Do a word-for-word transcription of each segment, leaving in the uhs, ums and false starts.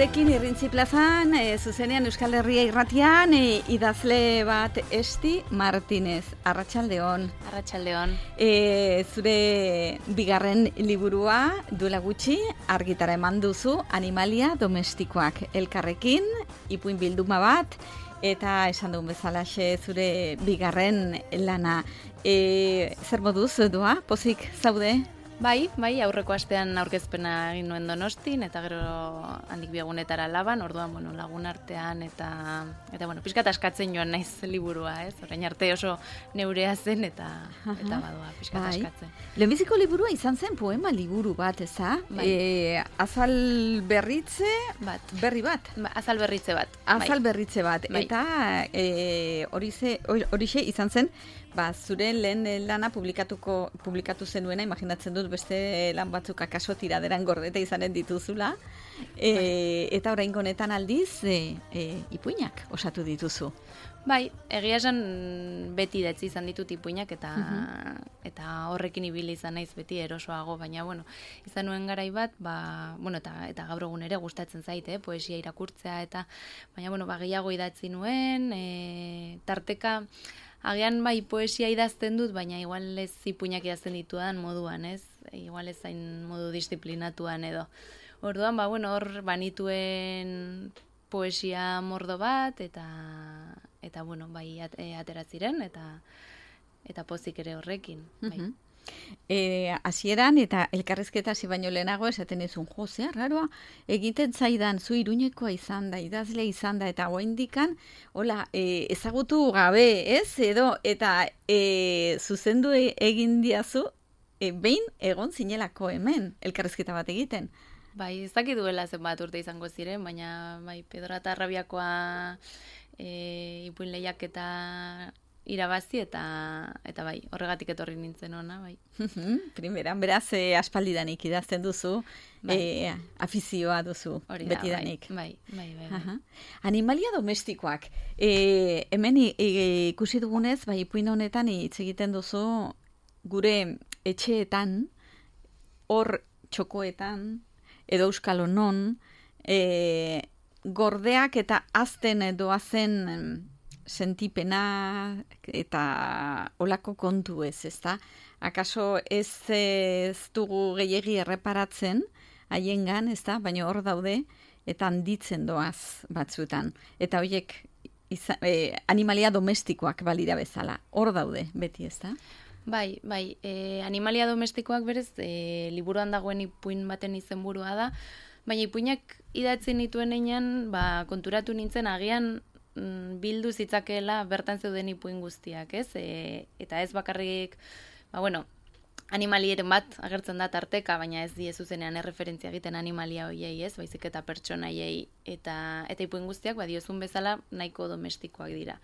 gurekin Irrintzi plazan, e, zuzenean Euskal Herria irratian, e, idazle bat Esti Martinez. Arratsaldeon. Arratsaldeon. E, zure bigarren liburua duela gutxi argitara eman duzu, Animalia domestikoak elkarrekin, ipuin bilduma bat, eta esan duen bezalaxe zure bigarren lana. E, zer moduz doa, pozik zaude? Bai, bai, aurreko astean aurkezpena egin nuen Donostin, eta gero handik biagunetara laban, orduan, bueno, lagun artean, eta, eta bueno, pixkat askatzen joan naiz liburua, ez? Orain arte oso neurea zen, eta, eta badoa, pixkat bai. askatzen. Lehenbiziko liburua izan zen poema liburu bat, eza? Bai. E, azal berritze Bat. berri bat. Ba, azal berritze bat. Azal bai. berritze bat. Bai. Eta e, horixe horixe izan zen, ba, zure lehen lana publikatuko publikatu zenuena, imaginatzen dut beste lan batzuk akaso tiraderan gordeta izanen dituzula. E, eta oraingo honetan aldiz e, e, ipuinak osatu dituzu. Bai, egia esan beti idatzi izan ditut ipuinak eta eta horrekin ibili izan naiz beti erosoago, baina bueno, izan nuen garai bat, ba, bueno, eta eta gaur egun ere gustatzen zait, eh, poesia irakurtzea eta baina bueno, ba gehiago idatzi nuen, e, tarteka agian bai poesia idazten dut, baina igual ez ipuinak idazten ditudan moduan, ez? Igual ez zain modu disiplinatuan edo. Orduan, ba bueno, hor banituen poesia mordo bat eta eta bueno, bai at, e, atera ziren eta eta pozik ere horrekin, bai. Uh-huh. E, hasieran eta elkarrizketa hasi baino lehenago esaten ezun, jo, zea raroa, egiten zaidan zu Iruñekoa izan da, idazle izan da, eta oraindikan, hola, e, ezagutu gabe, ez, edo, eta e, zuzendu egin diazu, e, behin egon zinelako hemen, elkarrizketa bat egiten. Bai, ez dakit duela zenbat urte izango ziren, baina bai, Pedro eta Arrabiakoa e, ipuin lehiaketa irabazi eta eta bai, horregatik etorri nintzen ona, bai. Primeran, beraz, e, aspaldidanik idazten duzu, bai. e, afizioa duzu, hori da, betidanik. Bai, bai, bai. bai, bai. Animalia domestikoak. E, hemen e, ikusi dugunez, bai, ipuin honetan hitz egiten duzu gure etxeetan, hor txokoetan, edo euskal honon, e, gordeak eta azten doazen sentipena eta olako kontu ez, ezta? Akaso ez, ez dugu gehiegi erreparatzen haiengan, ezta? Baina hor daude eta handitzen doaz batzuetan. Eta horiek e, animalia domestikoak balira bezala. Hor daude beti, ezta? Bai, bai, e, animalia domestikoak berez, e, liburuan dagoen ipuin baten izenburua da, baina ipuinak idatzen nituen einan, ba, konturatu nintzen agian mm, bildu zitzakeela bertan zeuden ipuin guztiak, ez? E, eta ez bakarrik, ba, bueno, animalieren bat agertzen da tarteka, baina ez die zuzenean erreferentzia egiten animalia hoiei, ez? Baizik eta pertsonaiei eta eta ipuin guztiak, ba, diozun bezala nahiko domestikoak dira.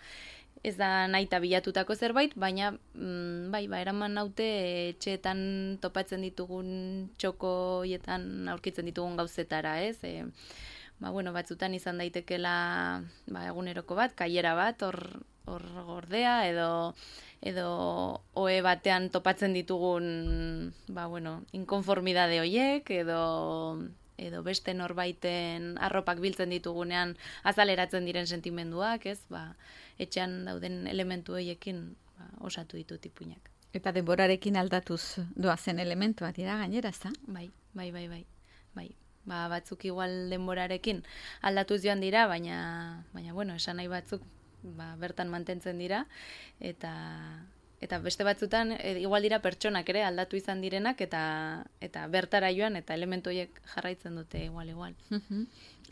Ez da nahi eta bilatutako zerbait, baina mm, bai, ba, eraman naute etxeetan topatzen ditugun txokoietan aurkitzen ditugun gauzetara, ez? E, ba, bueno, batzutan izan daitekela ba, eguneroko bat, kaiera bat, hor, hor gordea, edo edo ohe batean topatzen ditugun ba, bueno, inkonformidade hoiek, edo edo beste norbaiten arropak biltzen ditugunean azaleratzen diren sentimenduak, ez? Ba, etxean dauden elementu horiekin ba, osatu ditut ipuinak. Eta denborarekin aldatuz doazen elementuak dira gainera, ezta? Bai, bai, bai, bai. Bai. Ba, batzuk igual denborarekin aldatuz joan dira, baina baina bueno, esan nahi batzuk ba, bertan mantentzen dira eta eta beste batzutan e, igual dira pertsonak ere aldatu izan direnak eta eta bertara joan eta elementu horiek jarraitzen dute igual igual.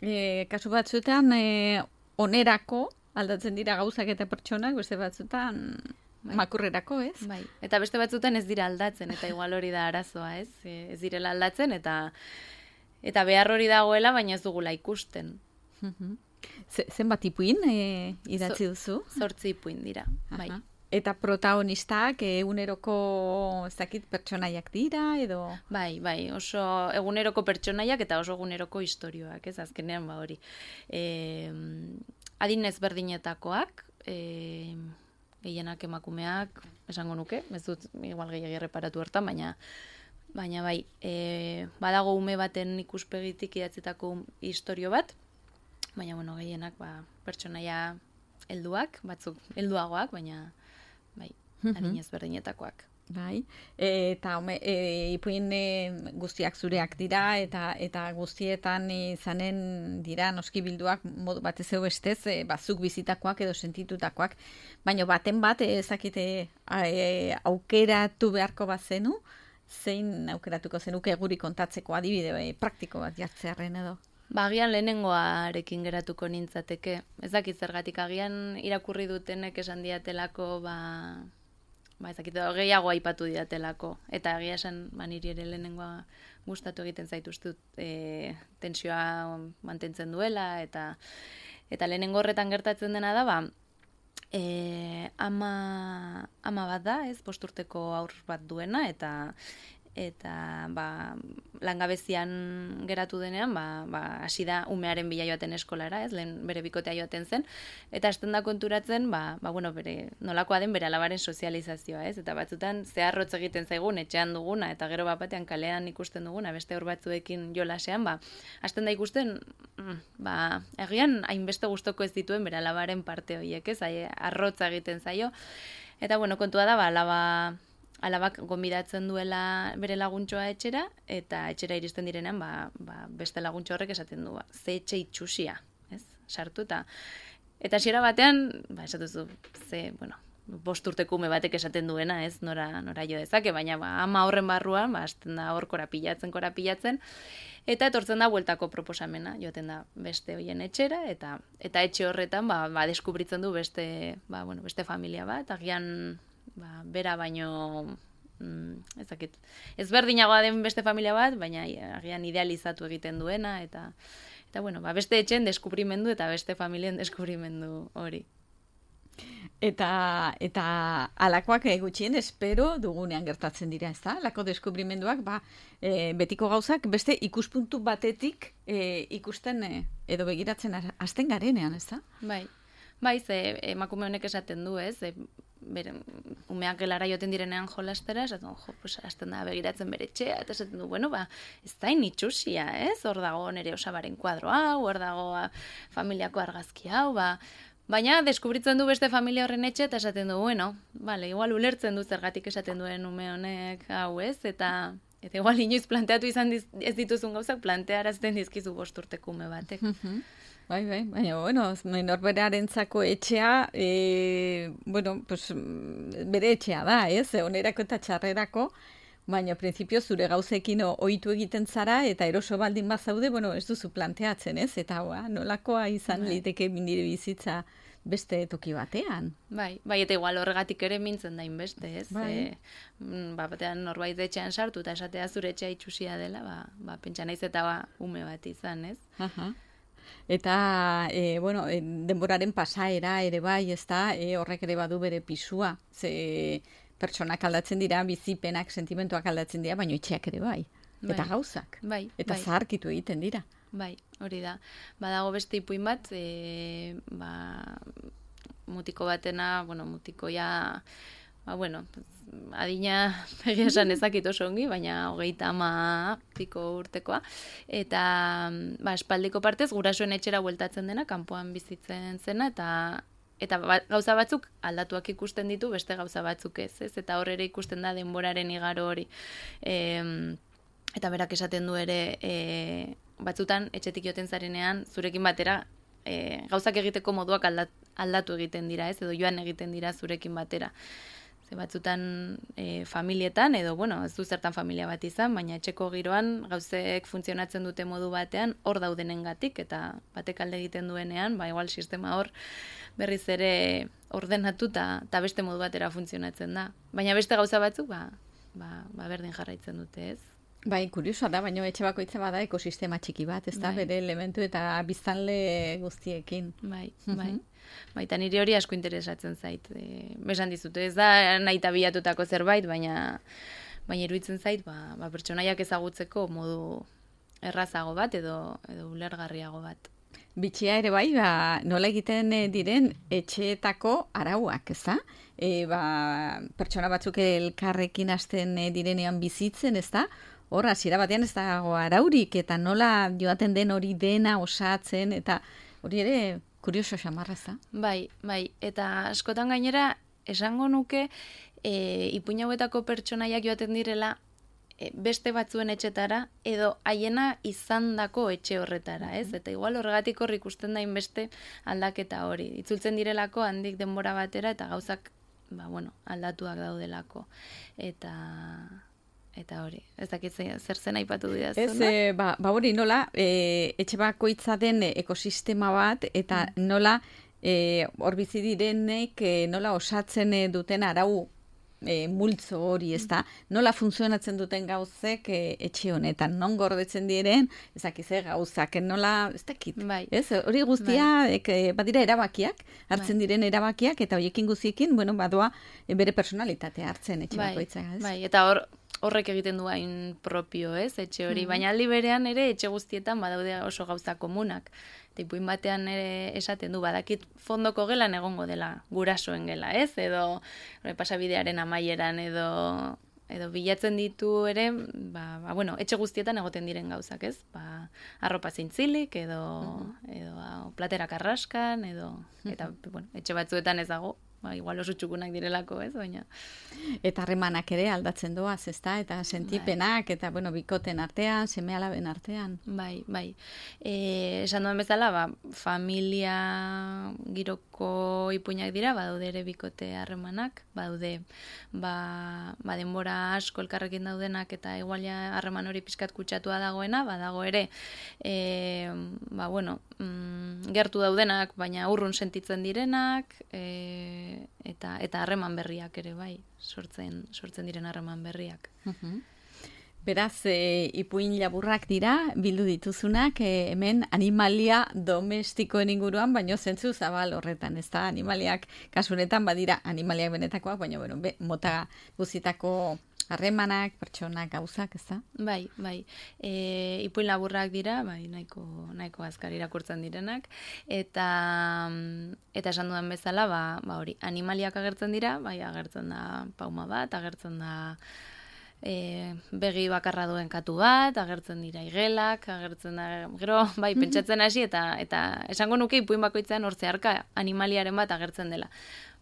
e, kasu batzuetan e, onerako aldatzen dira gauzak eta pertsonak, beste batzuetan bai. Makurrerako, ez? Bai. Eta beste batzuetan ez dira aldatzen eta igual hori da arazoa, ez? E, ez direla aldatzen eta eta behar hori dagoela, baina ez dugula ikusten. Zenbat ipuin e, idatzi duzu? Zortzi ipuin dira, bai. Aha. Eta protagonistak eguneroko ez dakit pertsonaiak dira edo? Bai, bai, oso eguneroko pertsonaiak eta oso eguneroko istorioak, ez azkenean ba hori. E, adin ezberdinetakoak, e, gehienak emakumeak, esango nuke, ez dut igual gehiago erreparatu hartan, baina baina bai, e, badago ume baten ikuspegitik idatzitako istorio bat, baina, bueno, gehienak, ba, pertsonaia helduak, batzuk helduagoak, baina, bai, adin ezberdinetakoak. Bai, e, eta home, e, ipuin e, guztiak zureak dira, eta eta guztietan izanen dira noski bilduak modu batez egu estez, e, bazuk bizitakoak edo sentitutakoak, baina baten bat ezakite e, aukeratu beharko bazenu, zein aukeratuko zenuke guri kontatzeko adibide e, praktiko bat jartzearen edo? Ba, agian lehenengoarekin geratuko nintzateke. Ez dakit zergatik, agian irakurri dutenek esan diatelako, ba, ba ez dakit, gehiago aipatu diatelako. Eta egia esan, ba, niri ere lehenengoa gustatu egiten zaituztut e, tensioa mantentzen duela, eta eta lehenengo horretan gertatzen dena da, ba, e, ama, ama bat da, ez, posturteko aur bat duena, eta eta ba, langabezian geratu denean, ba, ba, hasi da umearen bila joaten eskolara, ez, lehen bere bikotea joaten zen, eta hasten da konturatzen, ba, ba, bueno, bere, nolakoa den bere alabaren sozializazioa, ez, eta batzutan zeharrotz egiten zaigun, etxean duguna, eta gero bat batean kalean ikusten duguna, beste hor batzuekin jolasean, ba, hasten da ikusten, ba, egian hainbeste gustoko ez dituen bere alabaren parte horiek, ez, arrotza egiten zaio, eta, bueno, kontua da, ba, alaba, alabak gonbidatzen duela bere laguntxoa etxera, eta etxera iristen direnean, ba, ba, beste laguntxo horrek esaten du, ba, ze etxe itxusia, ez, sartu, eta eta hasiera batean, ba, esatuzu, ze, bueno, bost urteko ume batek esaten duena, ez, nora, nora jo dezake, baina, ba, ama horren barruan, ba, hasten da hor korapilatzen, korapilatzen, eta etortzen da bueltako proposamena, joaten da beste hoien etxera, eta eta etxe horretan, ba, ba deskubritzen du beste, ba, bueno, beste familia bat, agian, ba, bera baino, mm, ez dakit, ezberdinagoa den beste familia bat, baina agian idealizatu egiten duena, eta, eta bueno, ba, beste etxen deskubrimendu eta beste familien deskubrimendu hori. Eta, eta alakoak gutxien espero dugunean gertatzen dira, ez da? Alako deskubrimenduak, ba, e, betiko gauzak beste ikuspuntu batetik e, ikusten e, edo begiratzen hasten garenean, ez da? Bai, bai, ze emakume honek esaten du, ez? E, bere, umeak gelara joten direnean jolastera, esaten, jo, pues, hasten da begiratzen bere etxea, eta esaten du, bueno, ba, ez da initxusia, ez? Hor dago nere osabaren kuadro hau, hor dago familiako argazki hau, ba, baina deskubritzen du beste familia horren etxe, eta esaten du, bueno, vale, igual ulertzen du zergatik esaten duen ume honek hau, ez? Eta, eta igual inoiz planteatu izan diz, ez dituzun gauzak plantearazten dizkizu bost urteko ume batek. Bai, bai, baina, bueno, norberearentzako etxea, e, bueno, pues, bere etxea da, ez, onerako eta txarrerako, baina, prinsipio, zure gauzekin ohitu egiten zara, eta eroso baldin bazaude, bueno, ez duzu planteatzen, ez, eta hoa, nolakoa izan liteke nire bizitza beste toki batean. Bai, bai, eta igual horregatik ere mintzen dain beste, ez, bai. e, ba, batean norbait etxean sartu, eta esatea zure etxea itxusia dela, ba, ba pentsa naiz eta ba, ume bat izan, ez. Aha. Eta, e, bueno, e, denboraren pasaera ere bai, ez da, e, horrek ere badu bere pisua. Ze pertsonak aldatzen dira, bizipenak, sentimentuak aldatzen dira, baina itxeak ere bai. Bai. Eta gauzak. Bai, eta bai. Zaharkitu egiten dira. Bai, hori da. Badago beste ipuin bat, e, ba, mutiko batena, bueno, mutiko ja, ba, bueno, adina egia esan ezakit oso ongi, baina hogeita ama piko urtekoa. Eta, ba, espaldiko partez, gurasoen etxera bueltatzen dena, kanpoan bizitzen zena, eta eta ba, gauza batzuk aldatuak ikusten ditu, beste gauza batzuk ez, ez? Eta hor ere ikusten da denboraren igaro hori. E, eta berak esaten du ere, e, batzutan, etxetik joten zarenean, zurekin batera, e, gauzak egiteko moduak aldat, aldatu egiten dira, ez? Edo joan egiten dira zurekin batera. Ze batzutan e, familietan, edo, bueno, ez du zertan familia bat izan, baina etxeko giroan gauzek funtzionatzen dute modu batean, hor daudenengatik, eta batek alde egiten duenean, ba, igual sistema hor berriz ere ordenatuta eta beste modu batera funtzionatzen da. Baina beste gauza batzuk, ba, ba, ba berdin jarraitzen dute, ez? Bai, kuriosoa da, baina etxe bakoitza bada ekosistema txiki bat, ez da, Bai. bere elementu eta biztanle guztiekin. Bai, bai. Baita niri hori asko interesatzen zait. E, besan dizute, ez da nahi tabiatutako zerbait, baina baina iruditzen zait, ba, ba, pertsonaiak ezagutzeko modu errazago bat edo edo ulergarriago bat. Bitxia ere bai, ba, nola egiten eh, diren etxeetako arauak, ez da? E, ba, pertsona batzuk elkarrekin hasten eh, direnean bizitzen, ez da? Hor, hasiera batean ez dago araurik, eta nola joaten den hori dena osatzen, eta hori ere kurioso xamarra, ez da? Bai, bai, eta askotan gainera, esango nuke, e, ipuin hauetako pertsonaiak joaten direla, e, beste batzuen etxetara, edo haiena izandako etxe horretara, ez? Eta igual horregatik hor ikusten dain beste aldaketa hori. Itzultzen direlako handik denbora batera, eta gauzak, ba, bueno, aldatuak daudelako. Eta... Eta hori, ez dakit zer zen aipatu didazu, Ez, e, ba, ba hori nola, e, etxe bakoitza den ekosistema bat, eta nola e, hor bizi direnek e, nola osatzen e, duten arau e, multzo hori, ez da? Nola funtzionatzen duten gauzek e, etxe honetan, non gordetzen diren, ez dakiz, e, gauzak, nola, ez dakit, bai. ez? Hori guztia, bai. ek, badira erabakiak, hartzen bai. diren erabakiak, eta horiekin guztiekin, bueno, badoa e, bere personalitatea hartzen etxe bai. bakoitza, ez? Bai, eta hor, horrek egiten du hain propio, ez, etxe hori. Mm-hmm. Baina aldi berean ere etxe guztietan badaude oso gauza komunak. Eta ipuin batean ere esaten du, badakit fondoko gelan egongo dela, gurasoen gela, ez? Edo pasabidearen amaieran, edo, edo bilatzen ditu ere, ba, ba, bueno, etxe guztietan egoten diren gauzak, ez? Ba, arropa zintzilik, edo, mm-hmm. edo ba, platera karraskan, edo, eta, mm-hmm. bueno, etxe batzuetan ez dago, ba, igual oso txukunak direlako, ez, baina. Eta harremanak ere aldatzen doaz, ezta? Eta sentipenak, bai. Eta, bueno, bikoten artean, seme-alaben artean. Bai, bai. E, esan duen bezala, ba, familia giroko ipuinak dira, badaude ere bikote harremanak, badaude, ba, ba denbora asko elkarrekin daudenak, eta igualia harreman hori pixkat kutsatua dagoena, badago ere, e, ba, bueno, mm, gertu daudenak, baina urrun sentitzen direnak, e, eta eta harreman berriak ere bai, sortzen sortzen diren harreman berriak. Uh-huh. Beraz, e, ipuin laburrak dira, bildu dituzunak, e, hemen animalia domestikoen inguruan, baino zentzu zabal horretan, ez da? Animaliak, kasunetan badira animaliak benetakoak, baina bueno, be, mota guzitako harremanak, pertsonak, gauzak, ez da? Bai, bai. E, ipuin laburrak dira, bai, nahiko, nahiko azkar irakurtzen direnak, eta eta esan dudan bezala, ba, ba hori, animaliak agertzen dira, bai, agertzen da pauma bat, agertzen da e, begi bakarra duen katu bat, agertzen dira igelak, agertzen da, gero, bai, pentsatzen hasi, eta eta esango nuke ipuin bakoitzean hor zeharka animaliaren bat agertzen dela.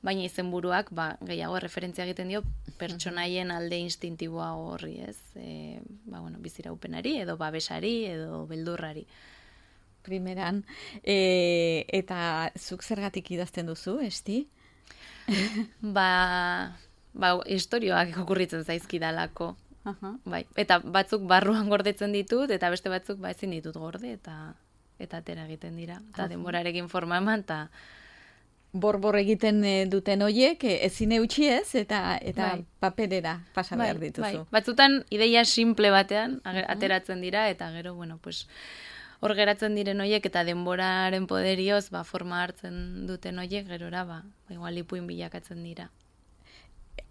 Baina izenburuak ba, gehiago referentzia egiten dio pertsonaien alde instintiboa horri, ez? E, ba, bueno, biziraupenari, edo babesari, edo beldurrari. Primeran, e, eta zuk zergatik idazten duzu, esti? ba, ba, historioak okurritzen zaizkidalako. Uh-huh. Bai, eta batzuk barruan gordetzen ditut, eta beste batzuk ba, ezin ditut gorde, eta eta atera egiten dira. Eta uh-huh. denborarekin forma eman, eta borbor egiten duten hoiek ezin eutxi ez, eta eta bai. paperera pasa behar bai, dituzu. Bai. Batzutan ideia simple batean ateratzen dira, eta gero, bueno, pues, hor geratzen diren hoiek, eta denboraren poderioz, ba, forma hartzen duten hoiek, gerora, ba, igual ipuin bilakatzen dira.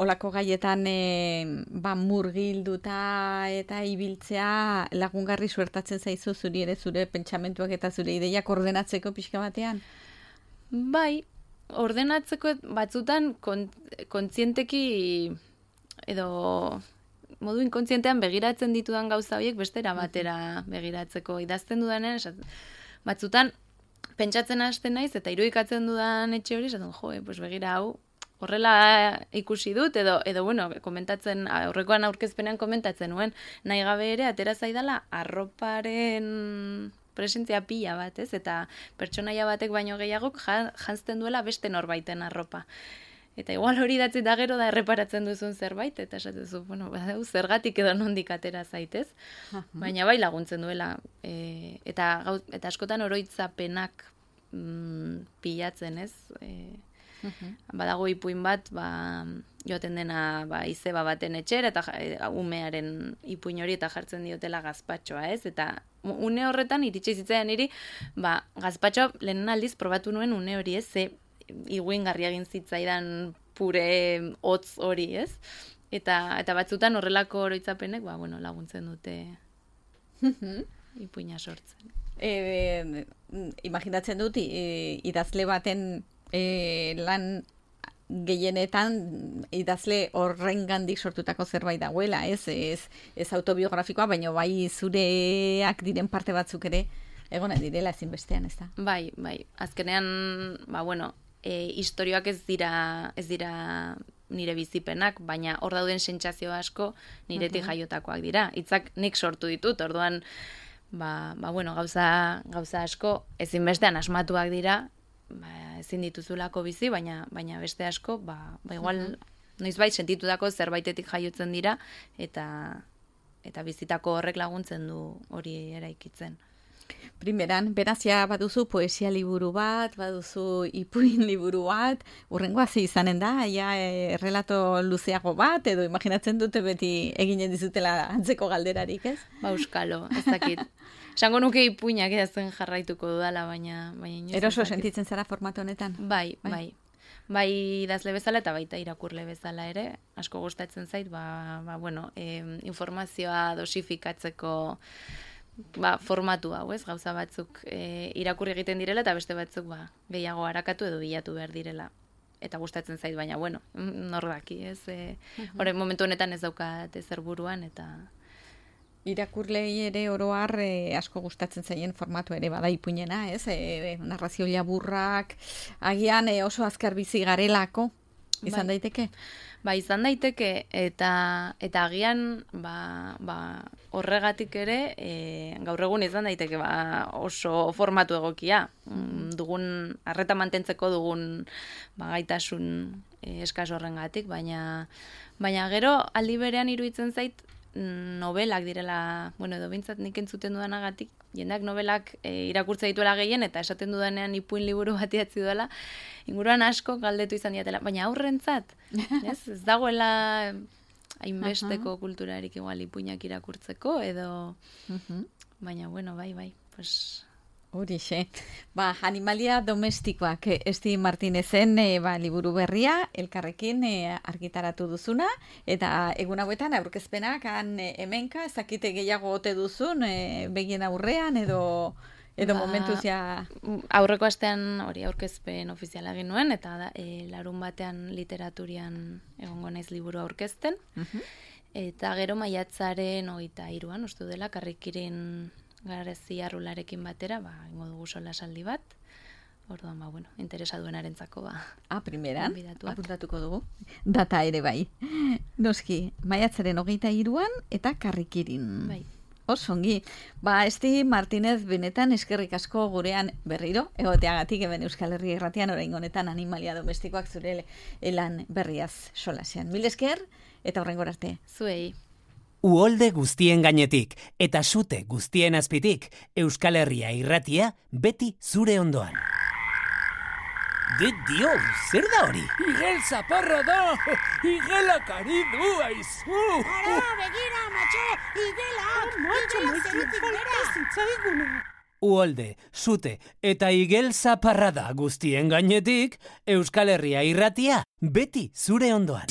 Olako gaietan e, ba, murgilduta eta ibiltzea lagungarri suertatzen zaizu zuri ere zure pentsamentuak eta zure ideiak ordenatzeko pixka batean? Bai, ordenatzeko batzutan kont, kontzienteki edo modu inkontzientean begiratzen ditudan gauza horiek bestera batera begiratzeko idazten dudanen, batzutan pentsatzen hasten naiz eta irudikatzen dudan etxe hori, esaten jo, pues begira hau, horrela ikusi dut, edo, edo bueno, komentatzen, aurrekoan aurkezpenean komentatzen nuen, nahi gabe ere atera zaidala arroparen presentzia pila bat, ez? Eta pertsonaia batek baino gehiagok janzten duela beste norbaiten arropa. Eta igual hori datzi da gero da erreparatzen duzun zerbait, eta esatezu, bueno, badau, zergatik edo nondik atera zaitez, baina bai laguntzen duela. E, eta, eta askotan oroitzapenak mm, pilatzen, ez? E, Uh-huh. Badago ipuin bat, ba, joaten dena ba, izeba baten etxera, eta e, umearen ipuin hori eta jartzen diotela gazpatxoa, ez? Eta une horretan, iritsi zitzaidan niri, ba, gazpatxoa lehenen aldiz probatu nuen une hori, ez? Ze iguingarri egin zitzaidan pure hotz hori, ez? Eta, eta batzutan horrelako oroitzapenek, ba, bueno, laguntzen dute ipuina sortzen. e, imaginatzen dut, e, idazle baten e, lan gehienetan idazle horrengandik sortutako zerbait dagoela, ez, ez, ez autobiografikoa, baina bai zureak diren parte batzuk ere egona direla ezinbestean, ez da? Bai, bai, azkenean, ba, bueno, e, historioak ez dira, ez dira nire bizipenak, baina hor dauden sentsazio asko niretik jaiotakoak dira. Hitzak nik sortu ditut, orduan, ba, ba bueno, gauza, gauza asko ezinbestean asmatuak dira, ba, ezin dituzulako bizi, baina baina beste asko, ba, ba igual, uh-huh. noizbait sentitutako zerbaitetik jaiotzen dira, eta eta bizitako horrek laguntzen du hori eraikitzen. Primeran, berazia baduzu poesia liburu bat, baduzu ipuin liburu bat, urrengoa ze izanen da, ja, e, relato luzeago bat, edo imaginatzen dute beti eginen dizutela antzeko galderarik, ez? Ba, euskalo, ez dakit. Esango nuke ipuinak edazen jarraituko dudala, baina... baina eroso sentitzen zara formatu honetan? Bai, bai. Bai, bai idazle bezala eta baita irakurle bezala ere. Asko gustatzen zait, ba, ba bueno, eh, informazioa dosifikatzeko ba, formatu hau, ez? Gauza batzuk eh, irakurri egiten direla eta beste batzuk ba, gehiago harakatu edo bilatu behar direla. Eta gustatzen zait, baina, bueno, nor daki, ez? E, uh-huh. Hore, momentu honetan ez daukat ezer buruan, eta... Irakurlei ere oroar e, asko gustatzen zaien formatu ere bada ipuinena, ez? E, narrazio laburrak, agian e, oso azkar bizi garelako, izan bai. daiteke? Ba, izan daiteke, eta eta agian ba, ba, horregatik ere, e, gaur egun izan daiteke ba, oso formatu egokia. Mm, dugun, arreta mantentzeko dugun ba, gaitasun e, eskas horrengatik, baina, baina gero aldi berean iruditzen zait, novelak direla, bueno, edo bintzat nik entzuten dudanagatik, jendeak novelak e, irakurtza dituela gehien, eta esaten dudanean ipuin liburu bat idatzi duela, inguruan asko galdetu izan diatela, baina aurrentzat, ez, ez dagoela hainbesteko uh-huh. kulturarik igual ipuinak irakurtzeko, edo, uh-huh. baina, bueno, bai, bai, pues... Horixe. Ba, animalia domestikoak Esti Martinezen e, ba, liburu berria, elkarrekin e, argitaratu duzuna, eta egun hauetan aurkezpenak han e, hemenka, ezakite gehiago ote duzun, e, begien aurrean, edo, edo ba, momentuz ja... Aurreko astean hori aurkezpen ofiziala egin nuen, eta da, e, larun batean literaturian egongo naiz liburu aurkezten, uh-huh. eta gero maiatzaren hogeita hiruan, uste dela, Karrikirin garezi arrularekin batera, ba, ingo dugu solasaldi bat, orduan, ba, bueno, interesa duenarentzako, ba. Ah, primeran, apuntatuko dugu. Data ere bai. Noski, maiatzaren hogeita hiruan eta Karrikirin. Bai. Osongi. Ba, Esti Martinez benetan eskerrik asko gurean berriro, egoteagatik hemen Euskal Herria Irratian orain honetan animalia domestikoak zure elan berriaz solasean. Mil esker, eta horrengor arte. Zuei. Uholde guztien gainetik eta sute guztien azpitik, Euskal Herria Irratia beti zure ondoan. De dio, zer da hori? Igel zaparra da! Igelak ari du aizu! Ara, begira, matxo! Igelak! Igelak zerutik bera! Uholde, sute eta igel zaparra da guztien gainetik, Euskal Herria Irratia beti zure ondoan.